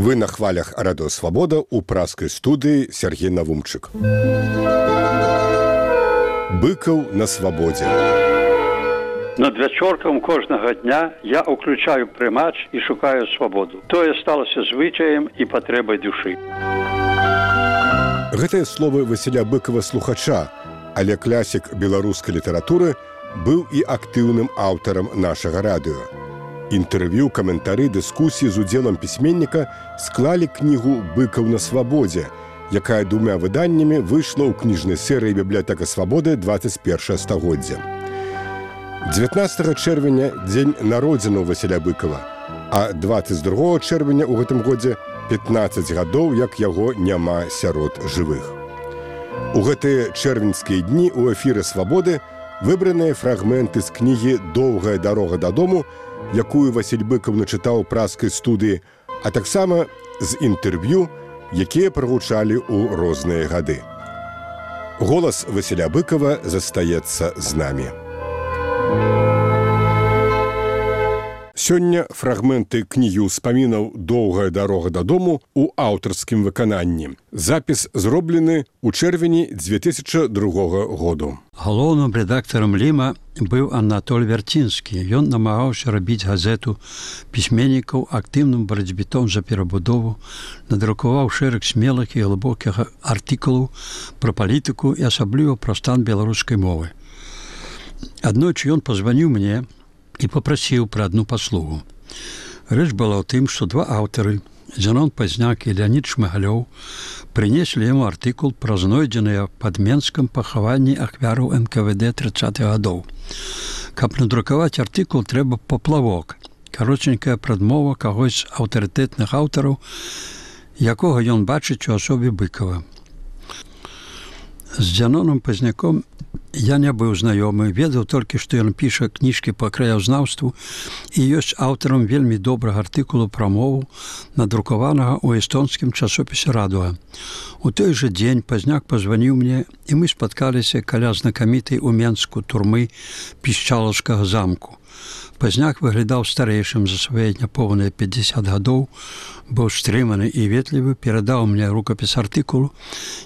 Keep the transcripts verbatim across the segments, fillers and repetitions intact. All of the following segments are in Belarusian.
Вы на хвалях радыё Свабода ў праскай студыі Сергей Навумчык. Быкаў на свабодзе. Над вячоркам кожнага дня я ўключаю прымач і шукаю свабоду. Тое сталася звычаем і патрэбай душы. Гэтыя словы Васіля Быкава слухача, але класік беларускай літаратуры быў і актыўным аўтарам нашага радыё. Інтэрв'ю, каментары, дыскусіі з удзелам пісьменніка склалі кнігу «Быкаў на свабодзе», якая двумя выданнямі выйшла ў кніжнай серыі «Бібліятэка свабоды» дваццаць першае стагоддзя. дзевятнаццатага чэрвеня – дзень народзінаў Васіля Быкава, а дваццаць другога чэрвеня ў гэтым годзе пятнаццаць гадоў, як яго няма сярод жывых. У гэтыя чэрвеньскія дні ў эфіры «Свабоды» выбраныя фрагменты з кнігі «Доўгая дарога дадому», якую Васіль Быкаў начытаў у праскай студыі, а таксама з інтэрв'ю, якія прагучалі ў розныя гады. Голас Васіля Быкава застаецца з намі. Сёння фрагменты кнігі ўспамінаў «Доўгая дарога дадому» у аўтарскім выкананні. Запіс зроблены ў чэрвені дзве тысячы другога году. Галоўным рэдактарам «Ліма» быў Анатоль Вярцінскі. Ён намагаўся рабіць газету пісьменнікаў актыўным барацьбітом за перабудову, надрукаваў шэраг смелых і глыбокіх артыкулаў пра палітыку і асабліва пра стан беларускай мовы. Аднойчы ён пазваніў мне і попрасіў пра адну паслугу. Рэч была ў тым, што два аўтары, Зенон Пазняк і Леонід Шмыгалёў, прынеслі яму артыкул пра знойдзеныя пад Менскам пахаванні ахвяраў эн ка вэ дэ трыццатых гадоў. Каб надрукаваць артыкул, трэба паплавок, каротенькая прадмова кагось з аўтарытэтных аўтараў, якога ён бачыць у асобе Быкава. З Зеноном Пазняком я не быў знаёмы, ведаў толькі, што ён піша кніжкі па краязнаўству і ёсць аўтарам вельмі добрага артыкулу пра мову, надрукаванага ў эстонскім часопісе «Радуга». У той жа дзень Пазняк пазваніў мне, і мы спаткаліся каля знакамітай у Менску турмы Пішчалаўскага замку. Пазняк выглядаў старэйшым за свае няпоўныя пятьдесят гадоў, быў стрыманы і ветлівы, перадаў мне рукапіс артыкулу,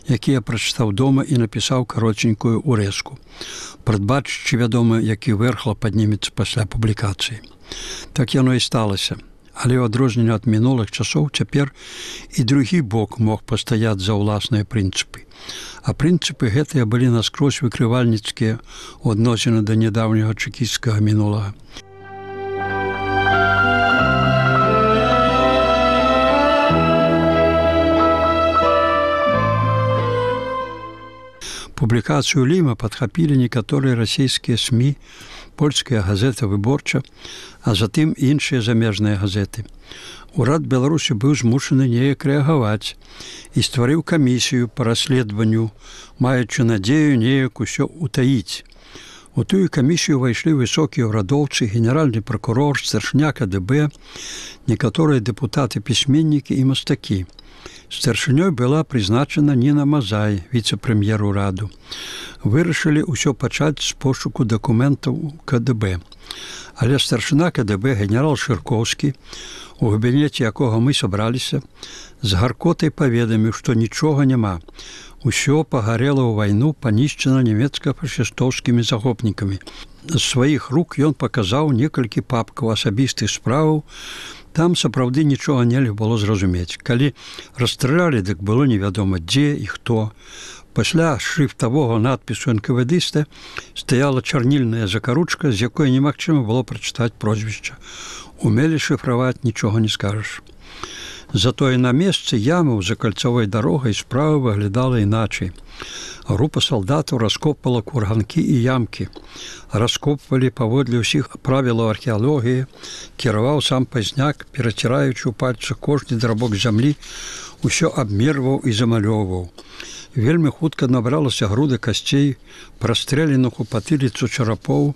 які я прачытаў дома і напісаў каротенькую урэзку, прадбачачы, вядома, які вэрхла паднімецца пасля публікацыі. Так яно і сталася. Але ў адрозненне ад мінулых часоў цяпер і другі бок мог пастаяць за ўласныя прынцыпы. А прынцыпы гэтыя былі наскрозь выкрывальніцкія ў адносіны да нядаўняга чэкісцкага мінулага. Публікацыю «Ліма» падхапілі некаторыя расійскія СМІ, польская газета «Выборча», а затым іншыя замежныя газеты. Урад Беларусі быў змушаны неяк рэагаваць і стварыў камісію па расследаванню, маючы надзею неяк усё ўтаіць. У тую камісію ўвайшлі высокія ўрадоўцы, генеральны пракурор, старшыня ка дэ бэ, некаторыя дэпутаты-пісьменнікі і мастакі. Старшынёй была прызначана Ніна Мазай, віцэ-прэм'ер ураду. Вырашылі ўсё пачаць з пошуку дакументаў ка дэ бэ. Але старшына ка дэ бэ, генерал Шыркоўскі, у кабінеце якога мы сабраліся, з гаркотай паведаміў, што нічога няма. Усё пагарела ў вайну, панішчана нямецка-фашыстоўскімі захопнікамі. З сваіх рук ён паказаў некалькі папкаў асабістых справаў. Там сапраўды нічога нельга было зразумець. Калі расстралялі, дык было невядома дзе і хто. Пасля шрыфтавога надпісу эн ка вэ дыста стаяла чарнільная закаручка, з якой немагчыма было прачытаць прозвішча. Умелі шыфраваць, нічога не скажаш. Затое на месцы ямаў за кальцавой дарогай справа выглядала іначай. Група салдатаў раскопвала курганкі і ямкі. Раскопвалі паводле ўсіх правілаў археалогіі, кіраваў сам Пазняк, пераціраючы ў пальцах кожны драбок зямлі, усё абмерваў і замалёўваў. Вельмі хутка набралася груда касцей, прастрэленых у патыліцу чарапоў,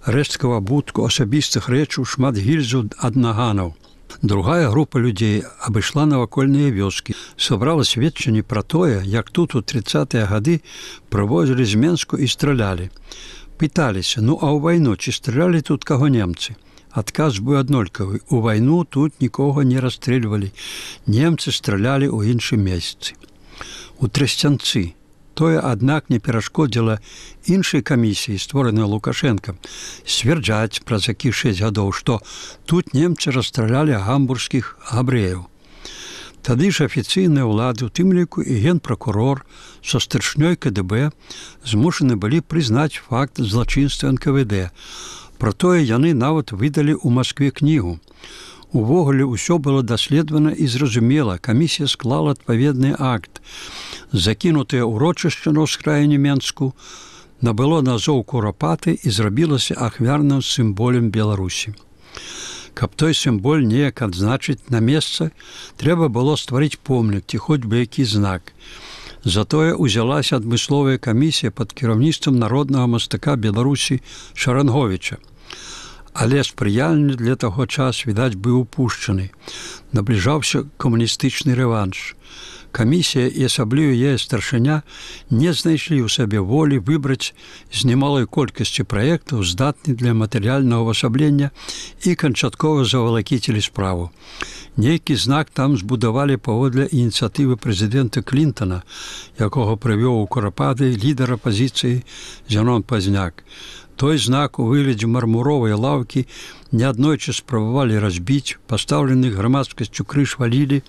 рэшткаў абутку, асабістых рэчаў, шмат гільзаў ад наганаў. Другая група людзей абышла навакольныя вёскі, сабрала сведчанні пра тое, як тут у трыццатыя гады прывозілі з Менску і стралялі. Пыталіся, ну а ў вайну ці стралялі тут каго немцы? Адказ быў аднолькавы. У вайну тут нікога не расстрэльвалі. Немцы стралялі ў іншым месцы. У Трасцянцы. Тое, аднак, не перашкодзіла іншай камісіі, створанай Лукашэнкам, сцвярджаць праз які шэсць гадоў, што тут немцы расстралялі гамбургскіх габрэяў. Тады ж афіцыйныя ўлады, у тым ліку і генпракурор са старшынёй ка дэ бэ, змушаны былі прызнаць факт злачынства эн ка вэ дэ. Пра тое яны нават выдалі ў Маскве кнігу. Увогуле ўсё было даследавана і зразумела. Камісія склала адпаведны акт. Закінутае ўрочышча на ўскраіне Менску набыло назоў Курапаты і зрабілася ахвярным сімволем Беларусі. Каб той сімвол неяк адзначыць на месца, трэба было стварыць помнік ці хоць бы які знак. Затое узялася адмысловая камісія пад кіраўніцтвам народнага мастака Беларусі Шаранговіча. Але спрыяльны для таго час, відаць, быў упушчаны. Набліжаўся камуністычны рэванш. Камісія і асабліва яе старшыня не знайшлі ў сабе волі выбраць з немалой колькасці праектаў, здатны для матэрыяльнага ўвасаблення і канчаткова завалакіцілі справу. Нейкі знак там збудавалі паводле ініцыятывы прэзідэнта Клінтана, якога прывёў у Курапаты лідар апазіцыі Зянон Пазняк. Той знак у выглядзе мармуровай лаўкі неаднойчы спрабавалі разбіць, пастаўлены грамадскасцю крыж валілі,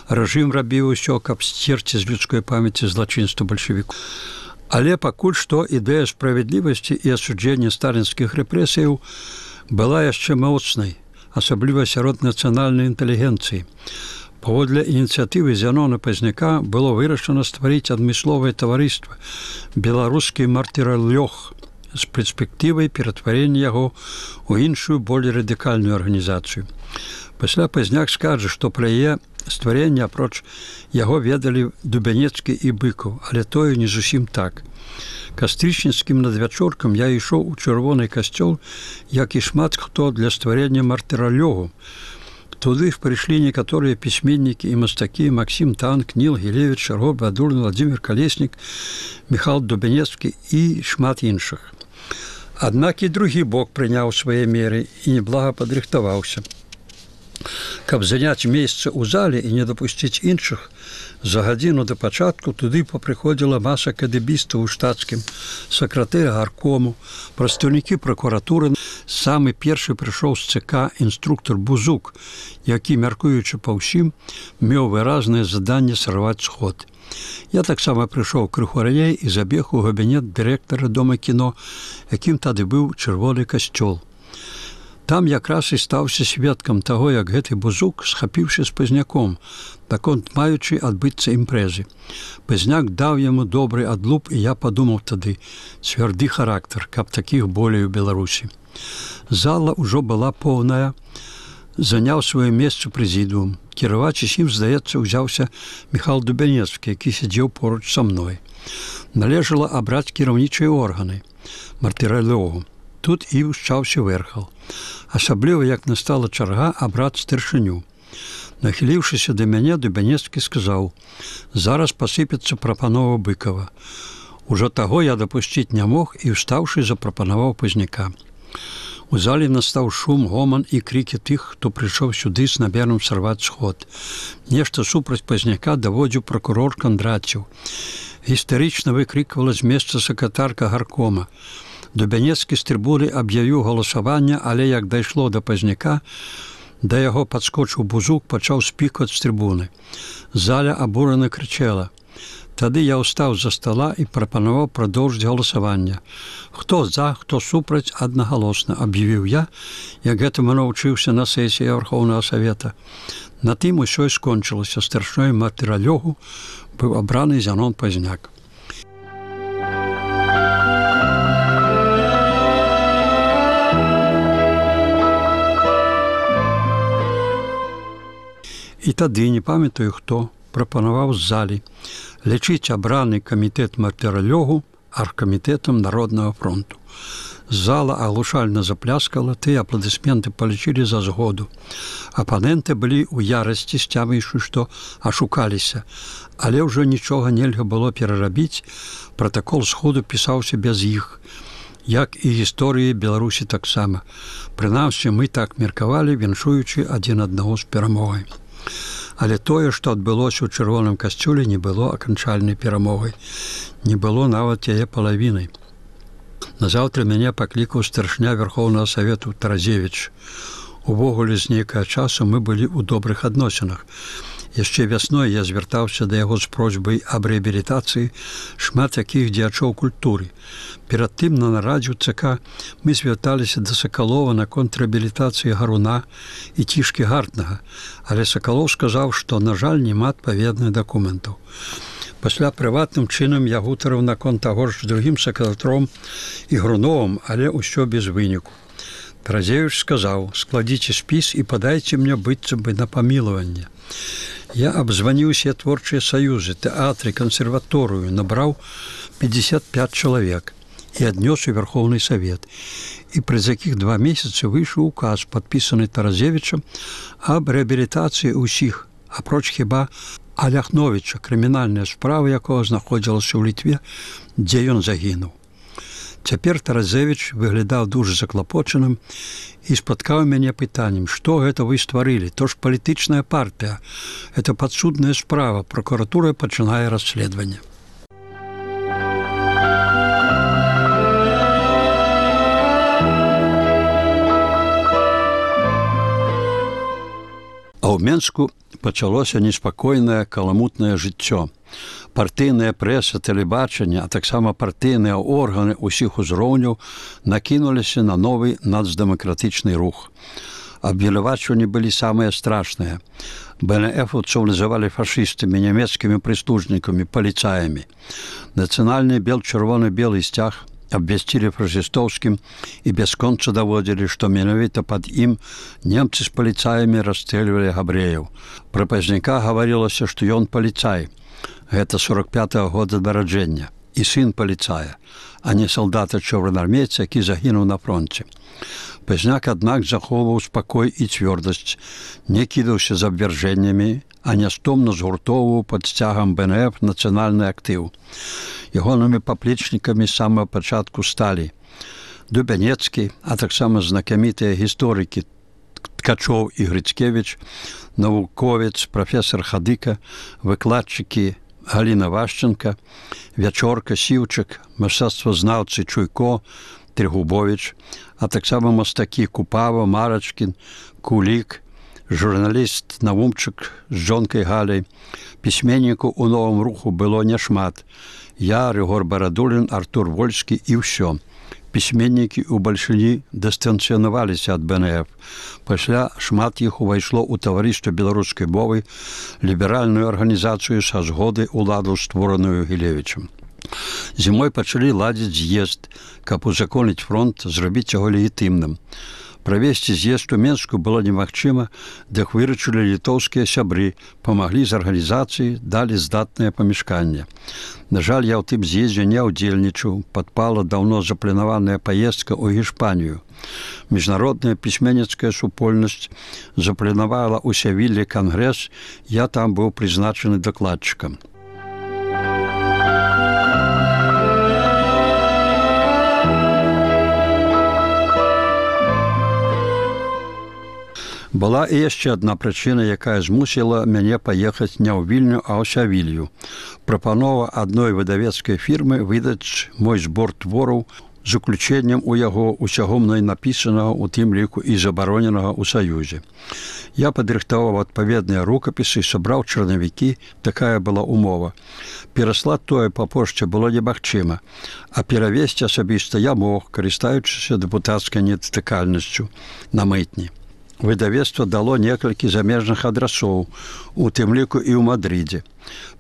рэжым рабіў усё, каб сцерці з людской памяці злачынства бальшавікоў. Але пакуль што ідэя справядлівасці і асуджэння сталінскіх рэпрэсіяў была яшчэ моцнай, асабліва сярод нацыянальнай інтэлігенцыі. Паводле ініцыятывы Зянона Пазняка было вырашана стварыць адмысловае таварыства «Беларускі мартыралёг» з перспектывай ператварення яго ў іншую, болей радыкальную арганізацыю. Пасля Пазняк скажа, што пра яе стварэнне апроч яго ведалі Дубянецкі і Быкаў, але тое не зусім так. Кастрычніцкім надвячоркам я ішоў у чырвоны касцёл, як і шмат хто для стварення мартыралёгу. Туды прыйшлі некаторыя пісьменнікі і мастакі Максім Танк, Ніл Гілевіч, Шарго Бадулін, Владзімір Калеснік, Міхал Дубянецкі і шмат іншых. Аднак і другі бок прыняў свае меры і неблага падрыхтаваўся. Каб заняць месца ў зале і не дапусціць іншых, за гадзіну да пачатку туды папрыходзіла маса кадэбістаў у штатскім, сакратэр гаркому, прадстаўнікі пракуратуры. Самы першы прыйшоў з ЦК інструктор Бузук, які, мяркуючы па ўсім, меў выразнае заданне сарваць сход. Я таксама прыйшоў крыху раней і забег у кабінет дырэктара дома кіно, якім тады быў чырвоны касцёл. Там якраз і стаўся сведкам таго, як гэты Бузук, схапіўшы з Пазняком, наконт маючы адбыцца імпрэзы. Пазняк даў яму добры адлуп, і я падумаў тады, цвярды характар, каб такіх болей у Беларусі. Зала ўжо была поўная, заняў сваё месца прэзідыум. Кіраваць усім, здаецца, узяўся Міхал Дубянецкі, які сядзеў поруч са мной. Належала абраць кіраўнічыя органы, мартыралёгу. Тут і ўшчаўся вэрхал. Асабліва, як настала чарга абраць старшыню. Нахіліўшыся да мяне, Дубянецкі сказаў: «Зараз пасыпецца прапанова Быкава». Ужо таго я дапусціць не мог і, устаўшы, запрапанаваў Пазняка. У зале настаў шум, гоман і крыкі тых, хто прыйшоў сюды з намерам сарваць сход. Нешта супраць Пазняка даводзіў пракурор Кандраціў. Гістарычна выкрыквала з месца сакратарка гаркома. Дубянецкі з трыбуны аб'явіў галасаванне, але як дайшло да Пазняка, да яго падскочыў Бузук, пачаў спікваць з трыбуны. Заля абурана крычала. Тады я ўстаў за стола і прапанаваў прадоўжыць галасаванне. Хто за, хто супраць, аднагалосна, аб'явіў я, як гэтаму навучыўся на сесіі Вархоўнага Савета. На тым усё і скончылася. Старшынёй мартыралёгу быў абраны Зянон Пазняк. І тады, не памятаю хто, прапанаваў з залі лічыць абраны камітэт мартыралёгу аргкамітэтам Народнага фронту. Зала аглушальна запляскала, тыя апладысменты палічылі за згоду. Апаненты былі ў ярасці, сцяміўшы, што ашукаліся, але ўжо нічога нельга было перарабіць, пратакол сходу пісаўся без іх. як і гісторыі Беларусі таксама. Прынамсі, мы так меркавалі, віншуючы адзін аднаго з перамогай. Але тое, што адбылося ў чырвоным касцюле, не было аканчальнай перамогай. Не было нават яе палавінай. Назаўтра мяне паклікаў старшыня Верхоўнага Савету Таразевіч. Увогуле, з нейкага часу мы былі ў добрых адносінах. Яшчэ вясной я звяртаўся да яго з просьбай аб рэабілітацыі шмат якіх дзеячоў культуры. Перад тым на нарадзе ў ЦК мы звярталіся да Сакалова наконт рэабілітацыі Гаруна і Цішкі Гартнага, але Сакалоў сказаў, што, на жаль, няма адпаведных дакументаў. Пасля прыватным чынам я гутарыў наконт таго ж з другім сакатаром і Груновым, але ўсё без выніку. Таразевіч сказаў: «Складзіце спіс і падайце мне быццам бы на памілаванне». Я абзваніў усе творчыя саюзы, тэатры, кансерваторыю, набраў пятьдесят пять чалавек і аднёс у Верхоўны Савет. І праз якіх два месяцы выйшаў указ, падпісаны Таразевічам, аб рэабілітацыі ўсіх, апроч хіба Аляхновіча, крымінальная справа якога знаходзілася ў Літве, дзе ён загінуў. Цяпер Таразевіч выглядаў дужа заклапочаным і спаткаў мяне пытаннем: «Што гэта вы стварылі? То ж палітычная партыя. Это падсудная справа. Пракуратура пачынае расследаванне». А ў Менску пачалося неспакойнае каламутнае жыццё. Партыйная прэса, тэлебачанне, а таксама партыйныя органы ўсіх узроўняў накінуліся на новы нацдэмакратычны рух. Абвінавачванні былі самыя страшныя. БНФаўцаў называлі фашыстамі, нямецкімі прыслужнікамі, паліцаямі. Нацыянальны бел-чырвоны-белы сцяг абвясцілі фашыстоўскім і бясконца даводзілі, што менавіта пад ім немцы з паліцаямі расстрэльвалі габрэяў. Пра пазняка гаварылася, што ён паліцай. Гэта сорок пятага года нараджэння. І сын паліцая, а не салдата-чорнаармейца, які загінуў на фронце. Пазняк, аднак, захоўваў спакой і цвёрдасць, не кідаўся з абвяржэннямі, а нястомна згуртоўваў пад сцягам БНФ нацыянальны актыў. Ягонымі паплечнікамі з самага пачатку сталі Дубянецкі, а таксама знакамітыя гісторыкі Ткачоў і Грыцкевіч, навуковец, прафесор Хадыка, выкладчыкі Галіна Вашченка, Вячорка, Сіўчык, мастацтвазнаўцы Чуйко, Трегубович, а таксама мастакі Купава, Марачкін, Кулік, журналіст Навумчык з жонкай Галяй. Пісьменнікаў у новым руху было няшмат. Я, Рыгор Барадулін, Артур Вольскі і ўсё. Пісьменнікі ў бальшыні дыстанцыянаваліся ад БНФ. Пасля шмат іх увайшло ў таварыства беларускай мовы, ліберальную арганізацыю са згоды ўладу, створаную Гілевічам. Зімой пачалі ладзіць з'езд, каб узаконіць фронт, зрабіць яго легітымным. Правесці з'езд у Менску было немагчыма, дык выручылі літоўскія сябры, памаглі з арганізацыі, далі здатнае памяшканне. На жаль, я ў тым з'ездзе не ўдзельнічаў, падпала даўно запланаваная паездка ў Гішпанію. Міжнародная пісьменніцкая супольнасць запланавала ў Севіллі кангрэс, я там быў прызначаны дакладчыкам. Была і яшчэ адна прычына, якая змусіла мяне паехаць не ў Вільню, а ў Сявілью. Прапанова адной выдавецкай фірмы выдаць мой збор твораў з уключэннем у яго усяго мной напісанага, у тым ліку і забароненага ў Саюзе. Я падрыхтаваў адпаведныя рукапісы, сабраў чарнавікі, такая была умова. Пераслаць тое па пошце было немагчыма, а перавесці асабіста я мог, карыстаючыся дэпутацкай недатыкальнасцю на мытні. Выдавецтва дало некалькі замежных адрасоў, у тым ліку і ў Мадридзе.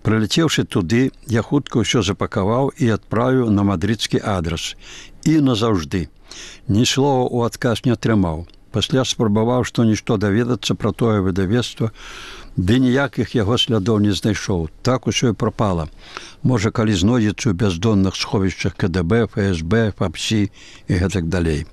Прылецеўшы туды, я хутка ўсё запакаваў і адправіў на мадридскі адрас. І назаўжды. Ні слова ў адказ не атрымаў. Пасля спрабаваў што-нішто даведацца пра тое выдавецтва, ды ніякіх яго слядоў не знайшоў. Так усё і прапала. Можа, калі знойдзецца ў бяздонных сховішчах КДБ, ФСБ, ФАПСі і гэтак далей.